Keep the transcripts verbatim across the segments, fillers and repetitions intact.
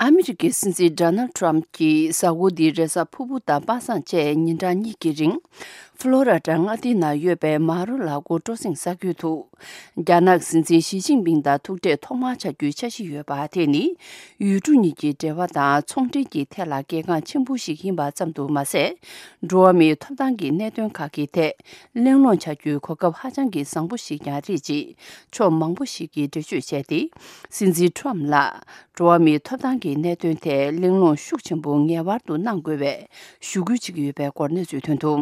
ཨ་མི་རི་ཀའི་སྲིད་འཛིན་ཌོ་ནལ་ཊམ་གྱིས་གཟའ་འཁོར་འདིའི་རེས་གཟའ་ཕུར་བུ་དང་པ་སངས་བཅས་ཉིན་གྲངས་གཉིས་ཀྱི་རིང་། ཕློ་ར་ཌ་མངའ་སྡེའི་ནང་ཡོད་པའ་མ་རོ་ལ་གོ་སྤྲོ་གསེང་ས་ཁུལ་དུ། རྒྱ་ནག་སྲིད་འཛིན་ཞི་ཅིན་ཕིང་དང་ཐུག་འཕྲད་ཐོག་མར་བྱ་རྒྱུའི་འཆར་གཞི་ཡོད་པ་དེ་ནི། ཡུལ་གྲུ་གཉིས་ཀྱི་འབྲེལ་བ་དང་ཚོང་འབྲེལ་གྱི་ཐད་ལ་གལ་འགངས་ཆེན་པོ་ཞིག་ཡིན་པ་ཙམ་དུ་མ་ཟད། འགྲོ་བ་མིའི་ཐོབ་ཐང་གི་གནད་དོན་ཁག་གི་ཐད་གླེང་སློང་བྱ་རྒྱུའི་གོ་སྐབས་ཧ་ཅང་གི་བཟང་པོ་ཞིག་ཀྱང་རེད་ཅེས་ཕྱོགས་མང་པོ་ཞིག་གིས་འགྲེལ་བརྗོད་བྱས་ཏེ། སྲིད་འཛིན་ཊམ་ལ་འགྲོ་བ་མིའི་ཐོབ་ཐང་གི་གནད་དོན་ཐད་གླེང་སློང་ཤུགས་ཆེན་པོ་ངེས་པར་དུ་གནང་དགོས་པའི་ཞུ་སྐུལ་བྱེད་ཀྱི་ཡོད་པའི་སྐོར་གནས་ཚུལ་ཐོན་འདུག་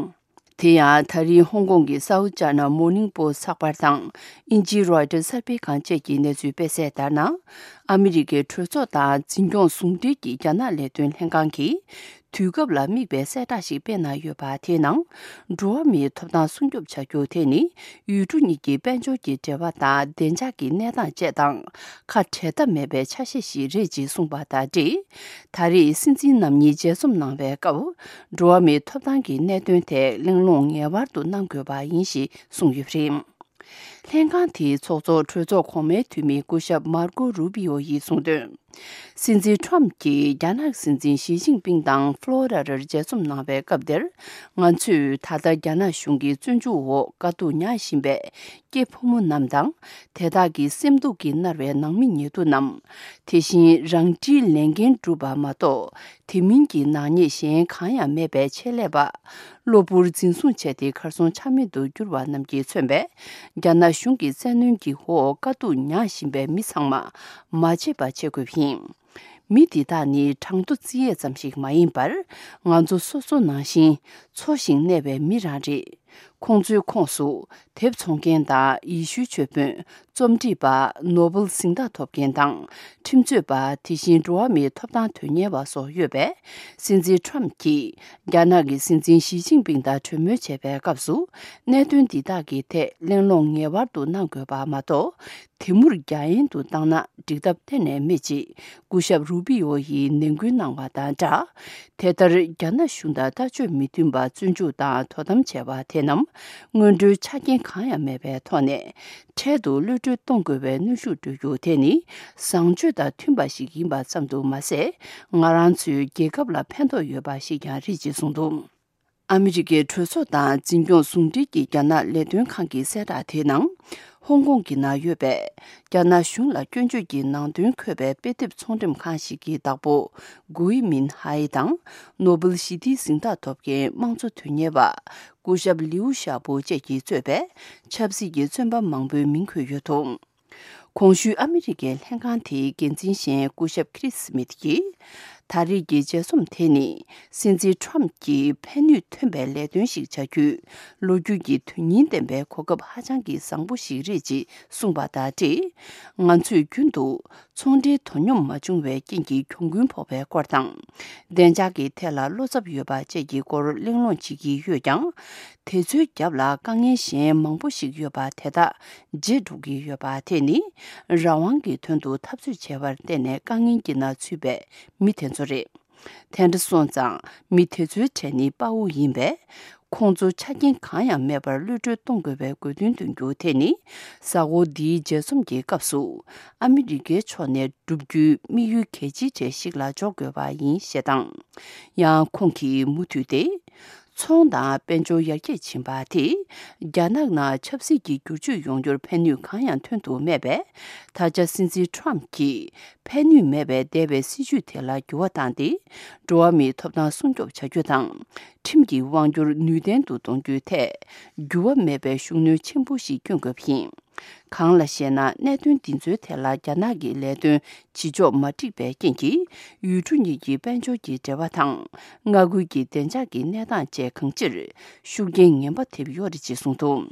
དེ་ཡང་ད་རིང་ཧོང་ཀོང་གི་སའུ་ཅཱ་ན་མོར་ནིང་པོ་སི་ཚགས་པར་དང་དབྱིན་ཇིའི་རོའི་ཊར་གསར་སྤེལ་ཁང་བཅས་ཀྱིས་གནས་ཚུལ་སྤེལ་གསལ་ལྟར་ན། ཨ་མི་རི་ཀའི་གྲོས་ཚོགས་དང་འཛིན་སྐྱོང་ཟུང་འབྲེལ་གྱི་རྒྱ་ནག་ལས་དོན་ལྷན་ཁང་གིས། དུས་སྐབས་ལ་དམིགས་པའི་གསལ་བསྒྲགས་ཤིག་སྤེལ་གནང་ཡོད་པ་དེའི་ནང་། འགྲོ་བ་མིའི་ཐོབ་ཐང་སྲུང་སྐྱོབ་བྱ་རྒྱུ་དེ་ནི་ཡུལ་གྲུ་གཉིས་ཀྱི་དཔལ་འབྱོར་གྱི་འབྲེལ་བ་དང་བདེ་འཇགས་ཀྱི་གནས་སྟངས་བཅས་དང་ཁ་བྲལ་ཐབས་མེད་པའི་ཆ་ཤས་ཤིག་རེད་ཅེས་གསུངས་པ་དང་འབྲེལ། ད་རེས་སྲིད་འཛིན་རྣམ་གཉིས་མཇལ་འཛོམས་གནང་བའི་སྐབས། འགྲོ་བ་མིའི་ཐོབ་ཐང་གི་གནད་དོན་ཐད་གླེང་སློང་ངེས་པར་དུ་གནང་དགོས་པ་ཡིན་ཞེས་གསུངས་ཡོད་པ་རེད། ལྷན་ཁང་དེའི་ཚོགས་གཙོ་གྲོས་ཚོགས་གོང་མའི་འཐུས་མི་སྐུ་ཞབས་མར་ཀོ་རུ་པི་ཨོ་ཡིས་གསུངས་དོན། སྲིད་འཛིན་ཊམ་གྱིས་རྒྱ་ནག་སྲིད་འཛིན་ཞི་ཅིན་ཕིང་དང་ཕློ་ར་ཌར་མཇལ་འཛོམས་གནང་བའི་སྐབས་དེར། ང་ཚོས་ད་ལྟ་རྒྱ་ནག་གཞུང་གི་བཙོན་འཇུག་འོག་དཀའ་སྡུག་མྱངས་བཞིན་པའི་སྐྱེས་ཕོ་མོ་རྣམས་དང་། དེ་དག་གི་སེམས་སྡུག་གིས་མནར་བའི་ནང་མི་ཉེ་དུ་རྣམས། དེ་བཞིན་རང་འཁྲིའི་ལས་འགན་བསྒྲུབས་པ་མ་གཏོགས། དེ་མིན་གྱི་ནག་ཉེས་གཞན་གང་ཡང་མེད་པའི་ཆེད་ལས་པ། གློ་བུར་འཛིན་བཟུང་བྱས་ཏེ་གར་སོང་ཆ་མེད་དུ་གྱུར་བ་རྣམས་ཀྱིས་མཚོན་པའི། རྒྱ་ནག་གཞུང་གི་བཙན་གནོན་གྱི་འོག་དཀའ་སྡུག་མྱངས་བཞིན་པའི་མི་ཚང་མ་མ་བརྗེད་པ་བྱེད་དགོས་པ་ཡིན། མི་འདི་དག་ནི་གྲངས་ཐོ་རྩི་ཡས་ཙམ་ཞིག་མ་ཡིན་པར། ང་ཚོ་སོ་སོ་ནང་བཞིན་འཚོ་ཞིང་གནས་པའི་མི་རང་རེད། ཁོང་ཚོའི་ཁོངས་སུ། དེབ་ཚོང་མཁན་དང་ཡེ་ཤུའི་ཆོས་དཔོན། རྩོམ་སྒྲིག་པ། ནོ་བེལ་གཟེངས་རྟགས་ཐོབ་མཁན་དང་། ཁྲིམས་རྩོད་པ། དེ་བཞིན་འགྲོ་བ་མིའི་ཐོབ་ཐང་དོན་གཉེར་བ་སོགས་ཡོད་པས། སྲིད་འཛིན་ཊམ་གྱིས། རྒྱ་ནག་གི་སྲིད་འཛིན་ཞི་ཅིན་ཕིང་དང་གྲོས་མོལ་བྱས་པའི་སྐབས་སུ། གནད་དོན་འདི་དག་གི་ཐད་གླེང་སློང་ངེས་པར་དུ་གནང་དགོས་པ་མ་གཏོགས། དེ་མུར་རྒྱ་ཡན་དུ་བཏང་ན་འགྲིག་ཐབས་གཏན་ནས་མེད་ཅེས་སྐུ་ཞབས་རུ་པི་ཨོ་ཡིས་ནན་སྐུལ་གནང་བ་དང་སྦྲགས། དེ་ལྟར་རྒྱ་ནག་གཞུང་དང་ལྟ་སྤྱོད་མི་མཐུན་པ་བཙོན་འཇུག་དང་དོ་དམ་བྱས་པ་དེ་རྣམས་སྔོན་འགྲོའི་ཆ་རྐྱེན་གང་ཡང་མེད་པའི་ཐོག་ནས། འཕྲལ་དུ་གློད་གྲོལ་གཏོང་དགོས་པའི་གནོན་ཤུགས་སྤྲོད་རྒྱུ་དེ་ནི་བཟང་སྤྱོད་དང་མཐུན་པ་ཞིག་ཡིན་པ་ཙམ་དུ་མ་ཟད། ང་རང་ཚོའི་རྒྱལ་ཁབ་ལ་ཕན་ཐོགས་ཡོད་པ་ཞིག་ཀྱང་རེད་ཅེས་གསུངས་འདུག་ཨ་མི་རི་ཀའི་གྲོས་ཚོགས་དང་འཛིན་སྐྱོང་ཟུང་འབྲེལ་གྱི་རྒྱ་ནག་ལས་དོན་ཁང་གི་གསལ་བསྒྲགས་དེའི་ནང་། ཧོང་ཀོང་གི་ནང་ཡོད་པའི་རྒྱ་ནག་གཞུང་ལ་སྐྱོན་བརྗོད་ཀྱི་ནང་དོན་འཁོད་པའི་དཔེ་དེབ་ཚོང་འགྲེམས་ཁང་ཞིག་གི་བདག་པོ་གུའི་མིན་ཧའེ་དང་། ནོ་བེལ་ཞི་བདེའི་གཟེངས་རྟགས་ཐོབ་མཁན་དམངས་གཙོ་དོན་གཉེར་བ་སྐུ་ཞབས་ལིའུ་ཞའོ་པོ་བཅས་ཀྱིས་གཙོས་པའི་ཆབ་སྲིད་ཀྱི་བཙོན་པ་མང་པོའི་མིང་འཁོད་ཡོད་འདུག་གོང་ཞུས་ཨ་མི་རི་ཀའི་ལྷན་ཁང་དེའི་འགན་འཛིན་གཞན་སྐུ་ཞབས་ཁྲིས་སི་མིད་ཀྱིས། ད་རེས་ཀྱི་མཇལ་འཛོམས་དེ་ནི་སྲིད་འཛིན་ཊམ་གྱིས་ཕན་ནུས་ཐོན་པའི་ལས་དོན་ཞིག་བྱ་རྒྱུའི་ལོ་རྒྱུས་ཀྱི་དོན་སྙིང་ལྡན་པའི་གོ་སྐབས་ཧ་ཅང་གི་བཟང་པོ་ཞིག་རེད་ཅེས་གསུངས་པ་དང་འབྲེལ། ང་ཚོས་རྒྱུན་དུ་ཚོང་འབྲེལ་དོ་སྙོམས་མ་བྱུང་བའི་རྐྱེན་གྱིས་གྱོང་གུན་ཕོག་པའི་སྐོར་དང་། བདེ་འཇགས་ཀྱི་ཐད་ལ་བློ་འཚབ་ཡོད་པ་བཅས་ཀྱི་སྐོར་གླེང་སློང་བྱེད་ཀྱི་ཡོད་ཀྱང་། དེ་ཚོའི་རྒྱབ་ལ་དཀའ་ངལ་གཞན་མང་པོ་ཞིག་ཡོད་པ་དེ་དག་བརྗེད་འགྲོ་གི་ཡོད་པ་དེ་ནི་རང་དབང་གི་དོན་དུ་འཐབ་རྩོད་བྱས་པར་བརྟེན་ནས་དཀའ་ངལ་གྱི་ནང་ཚུད་པའི་མི་དེ་ཚོ་རེད། དེ་འདྲ་སོང་ཙང་མི་དེ་ཚོའི་གྲས་ནི་དཔའ་བོ་ཡིན་པས། ཁོང་ཚོ་ཆ་རྐྱེན་གང་ཡང་མེད་པར་གློད་གྲོལ་གཏོང་དགོས་པའི་དགོས་འདུན་འདོན་རྒྱུ་དེ་ནི་གཟའ་འཁོར་འདིའི་མཇལ་འཛོམས་ཀྱི་སྐབས་སུ་ཨ་མི་རི་ཀའི་ཕྱོགས་ནས་བསྒྲུབ་རྒྱུའི་དམིགས་ཡུལ་གལ་ཆེའི་གྲས་ཤིག་ལ་འཇོག་དགོས་པ་ཡིན་ཞེས་དང་། ཡང་ཁོང་གིས་མུ་མཐུད་དེ། ཚོང་དང་དཔལ་འབྱོར་ཡར་རྒྱས་ཕྱིན་པ་དེས་རྒྱ་ནག་ནང་ཆབ་སྲིད་ཀྱི་བསྒྱུར་བཅོས་ཡོང་རྒྱུར་ཕན་ནུས་གང་ཡང་ཐོན་ཐུབ་མེད་པས། ད་ཆ་སྲིད་འཛིན་ཊམ་གྱིས་ཕན་ནུས་མེད་པའི་འདས་པའི་སྲིད་བྱུས་དེ་ལ་འགྱུར་བ་བཏང་སྟེ། འགྲོ་བ་མིའི་ཐོབ་ཐང་སྲུང་སྐྱོབ་བྱ་རྒྱུ་དང་། ཁྲིམས་ཀྱི་དབང་སྒྱུར་ནུས་ལྡན་དུ་གཏོང་རྒྱུའི་ཐད། འགྱུར་བ་མེད་པའི་ཤུགས་སྣོན་ཆེན་པོ་ཞིག་བསྐྱོན་དགོས་པ་ཡིན། གང་ལ་ཞེ་ན། གནད་དོན་འདི་ཚོའི་ཐད་ལ་རྒྱ་ནག་གི་ལས་དོན་བྱེད་ཕྱོགས་མ་འགྲིག་པའི་རྐྱེན་གྱིས། ཡུལ་གྲུ་གཉིས་ཀྱི་དཔལ་འབྱོར་གྱི་འབྲེལ་བ་དང་། མངའ་ཁུལ་གྱི་བདེ་འཇགས་ཀྱི་གནས་སྟངས་བཅས་གང་ཅིར་ཤུགས་རྐྱེན་ངན་པ་ཐེབས་ཡོད་རེད་ཅེས་གསུངས་འདུག་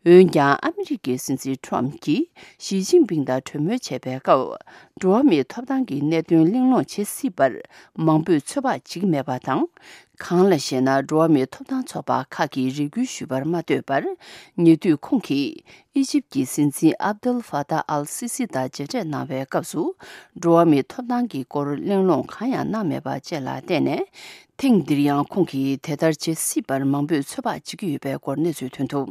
འོན་ཀྱང་། ཨ་མི་རི་ཀའི་སྲིད་འཛིན་ཊམ་གྱིས་ཞི་ཅིན་ཕིང་དང་གྲོས་མོལ་བྱས་པའི་སྐབས། འགྲོ་བ་མིའི་ཐོབ་ཐང་གི་གནད་དོན་གླེང་སློང་བྱེད་སྲིད་པར་མང་པོས་ཚོད་དཔག་བྱེད་ཀྱི་མེད་པ་དང་། གང་ལ་ཞེ་ན། འགྲོ་བ་མིའི་ཐོབ་ཐང་ཚོགས་པ་ཁག་གིས་རེ་སྐུལ་ཞུས་པར་མ་ལྟོས་པར། ཉེ་དུས་ཁོང་གིས་ཨི་ཇིབ་ཀྱི་སྲིད་འཛིན་ཨབ་དུལ་ཧྥ་ཏཱ་ཨལ་སི་སི་དང་མཇལ་འཕྲད་གནང་བའི་སྐབས་སུ། འགྲོ་བ་མིའི་ཐོབ་ཐང་གི་སྐོར་གླེང་སློང་གང་ཡང་གནང་མེད་པ་བཅས་ལ་བརྟེན་ནས། ཐེངས་འདིར་ཡང་ཁོང་གིས་དེ་ལྟར་བྱེད་སྲིད་པར་མང་པོས་ཚོད་དཔག་བྱེད་ཀྱི་ཡོད་པའི་སྐོར་གནས་ཚུལ་ཐོན་འདུག